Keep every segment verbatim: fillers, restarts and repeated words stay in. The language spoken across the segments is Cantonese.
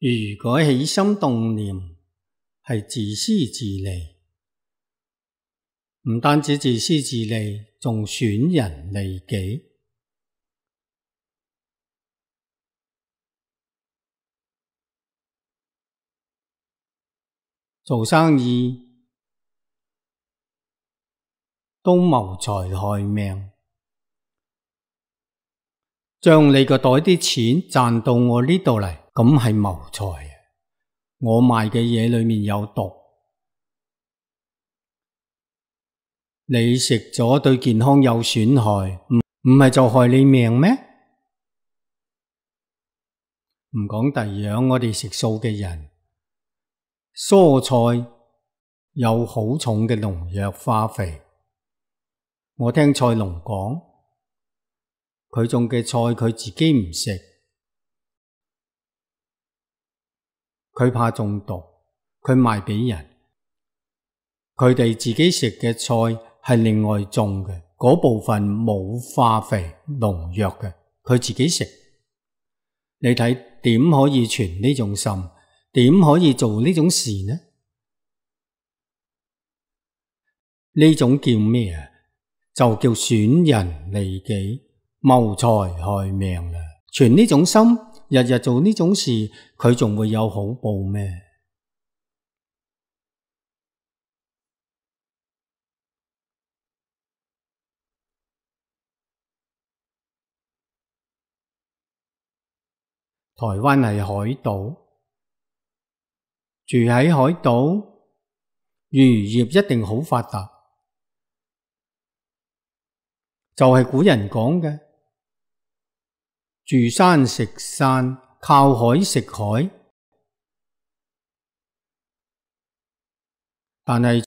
如果起心動念係自私自利，唔單止自私自利，仲損人利己。做生意都謀財害命，將你個袋啲錢賺到我呢度嚟，咁係謀財。我賣嘅嘢裏面有毒，你食咗對健康有損害，唔唔係就害你命咩？唔講第二樣，我哋食素嘅人，蔬菜有好重嘅農藥化肥。我聽菜農講，佢種嘅菜佢自己唔食，佢怕中毒，佢賣俾人。佢哋自己食嘅菜係另外種嘅，嗰部分冇化肥農藥嘅，佢自己食。你睇點可以存呢種心？點可以做呢種事呢？呢種叫咩啊？就叫損人利己、謀財害命啦！存呢種心，日日做呢種事，佢仲會有好報咩？台灣係海島，住喺海島，漁業一定好發達。就係古人講嘅，住山食山，靠海食海。但係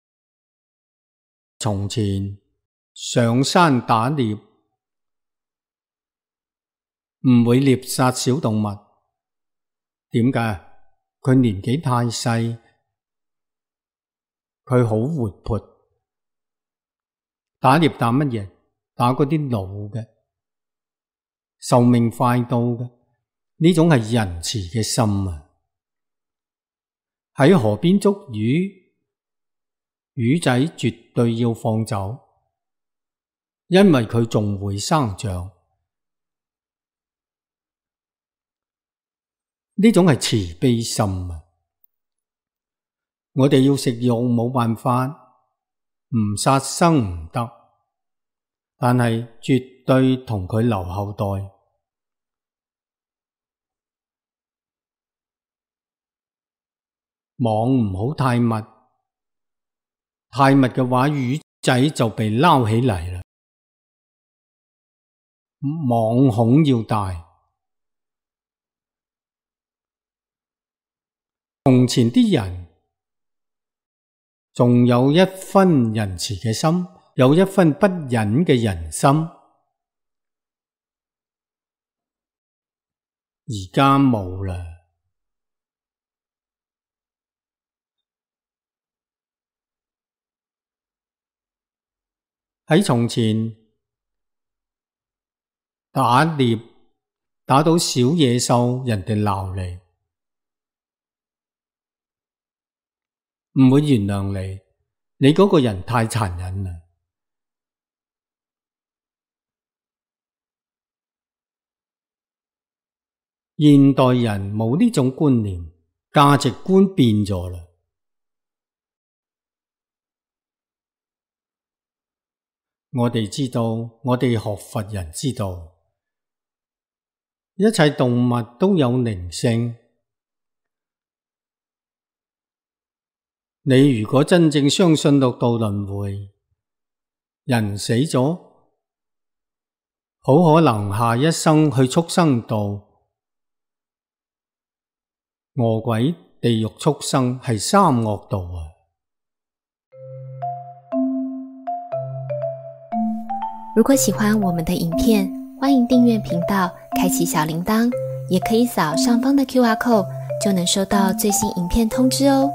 從前上山打獵，唔會獵殺小動物。點解？佢年紀太細，佢好活潑。打獵打乜嘢？打嗰啲老嘅，壽命快到嘅，呢種係仁慈嘅心啊！喺河邊捉魚，魚仔絕對要放走，因為佢仲會生長。呢種係慈悲心啊！我哋要食肉冇辦法，唔殺生唔得。但係絕對同佢留後代，網唔好太密，太密嘅話魚仔就被撈起嚟啦。網孔要大。從前啲人仲有一分仁慈嘅心，有一分不忍嘅人心，而家冇啦。喺從前打獵打到小野獸，人哋鬧你，唔會原諒你，你嗰個人太殘忍啦。現代人冇呢種觀念，價值觀變咗啦。我哋知道，我哋學佛人知道，一切動物都有靈性。你如果真正相信六道輪迴，人死咗，好可能下一生去畜生道。餓鬼、地獄、畜生係三惡道啊！如果喜歡我們的影片，歡迎訂閱頻道，開啟小鈴鐺，也可以掃上方的 Q R code，就能收到最新影片通知哦。